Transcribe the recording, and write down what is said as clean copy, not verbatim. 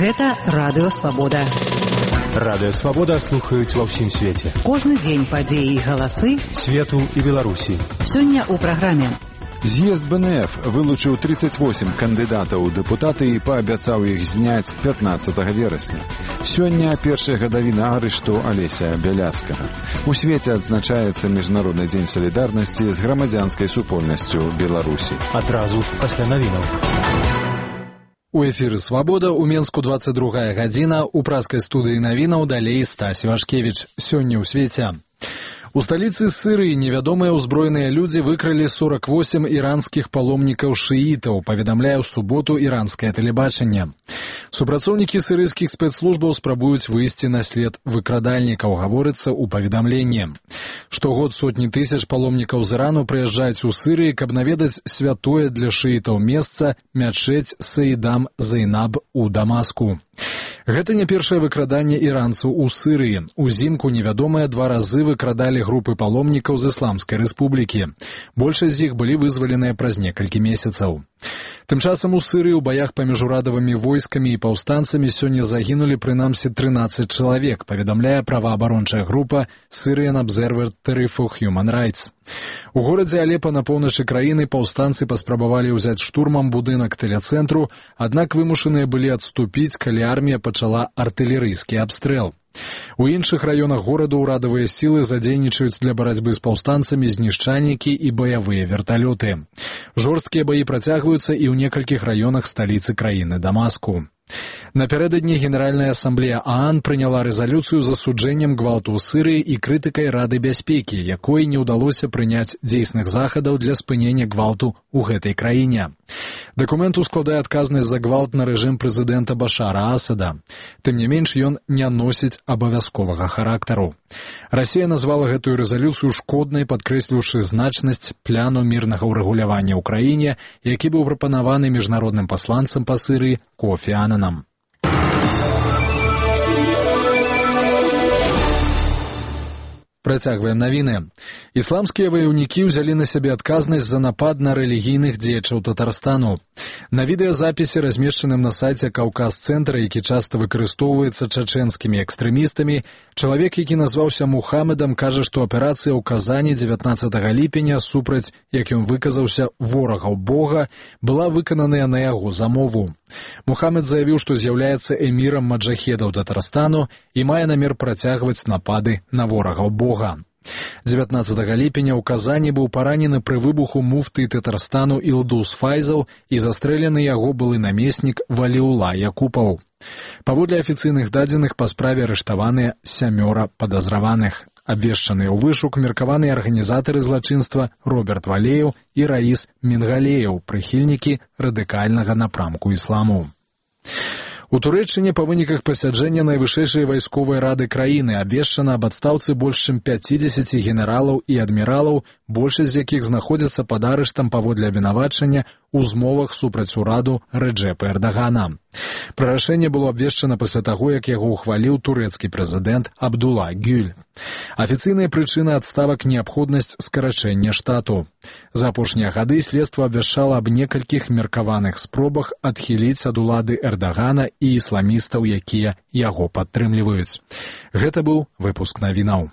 Гэта Радыё Свабода. Радыё Свабода слухаюць ва ўсім свеце. Кожны дзень падзеі і галасы свету і Беларусі. Сёння ў праграме. З'езд БНФ вылучыў 38 кандыдатаў у дэпутаты і паабяцаў іх зняць 15 верасня. Сёння першая гадавіна арышту Алеся Бяляцкага. У свеце адзначаецца Міжнародны дзень салідарнасці з грамадзянскай супольнасцю Беларусі. Адразу пасля навінаў. У эфіры «Свабода» у Менску 22 гадзіна, у праскай студыі навінаў далей Стась Вашкевіч. Сёння ў свеце. У сталіцы Сырыі невядомыя ўзброеныя людзі выкралі 48 іранскіх паломнікаў шыітаў, паведамляе ў суботу іранскае тэлебачанне. Супрацоўнікі сырыйскіх спецслужбаў спрабуюць выйсці на след выкрадальнікаў, гаворыцца ў паведамленні. Штогод сотні тысяч паломнікаў з Ірану прыязджаюць у Сырыі, каб наведаць святое для шыітаў месца мячэць Саідам Зайнаб у Дамаску. Гэта не першае выкраданне іранцаў у Сырыі. Узімку невядомыя 2 разы выкрадалі групы паломнікаў з Ісламскай рэспублікі. Большасць з іх былі вызваленыя праз некалькі месяцаў. Тым часам у Сырыі ў баях паміж урадавымі войскамі і паўстанцамі сёння загінулі прынамсі 13 чалавек, паведамляе праваабарончая група Syrian Observatory for Human Rights. У горадзе Алепа на поўначы краіны паўстанцы паспрабавалі ўзяць штурмам будынак тэлецэнтру, аднак вымушаныя былі адступіць, калі армія пачала артылерыйскі абстрэл. У іншых раёнах горада ўрадавыя сілы задзейнічаюць для барацьбы з паўстанцамі знішчальнікі і баявыя верталёты. Жорсткія баі працягваюцца і ў некалькіх раёнах сталіцы краіны Дамаску. Напярэдадні Генеральная асамблея ААН прыняла рэзалюцыю з асуджэннем гвалту ў Сырыі і крытыкай Рады бяспекі, якой не ўдалося прыняць дзейсных захадаў для спынення гвалту ў гэтай краіне. Дакумент ускладае адказнасць за гвалт на рэжым прэзідэнта Башара Асада. Тым не менш, ён не носіць абавязковага характару. Расія назвала гэтую рэзалюцыю шкоднай, падкрэсліўшы значнасць пляну мірнага ўрэгулявання ў краіне, які быў прапанаваны міжнародным пасланцам па Сырыі Кофі Ананам. Працягваем навіны. Ісламскія ваяўнікі ўзялі на сябе адказнасць за напад на рэлігійных дзеячаў Татарстану. На відэазапісе, размешчаным на сайце Каўказ-цэнтра, які часта выкарыстоўваецца чачэнскімі экстрэмістамі, чалавек, які назваўся Мухаммедам, кажа, што аперацыя ў Казані 19 ліпеня супраць, як ён выказаўся, ворагаў Бога, была выкананая на яго замову. Мухаммед заявіў, што з'яўляецца эмірам маджахедаў Татарстану і мае намер працягваць напады на ворагаў Бога. 19 ліпеня ў Казані быў паранены пры выбуху муфты Татарстану Ілдус Файзаў і застрэлены яго былы намеснік Валіула Якупаў. Паводле афіцыйных дадзеных, па справе арыштаваныя 7 падазраваных. Абвешчаныя ў вышук меркаваныя арганізатары злачынства Роберт Валеев і Раіс Мінгалеев, прыхільнікі радыкальнага напрамку ісламу. У Турэччыне па выніках пасяджэння найвышэйшай вайсковай рады краіны абвешчана аб адстаўцы больш чым 50 генералаў і адміралаў, большасць з якіх знаходзяцца пад арыштам паводле абвінавачання ў змовах супраць ураду Рэджэпа Эрдагана. Пра рашэнне было абвешчана пасля таго, як яго ўхваліў турэцкі прэзідэнт Абдула Гюль. Афіцыйная прычына адставак — неабходнасць скарачэння штату. За апошнія гады следства абвяшчала аб некалькіх меркаваных спробах адхіліць ад улады Эрдагана і ісламістаў, якія яго падтрымліваюць. Гэта быў выпуск навінаў.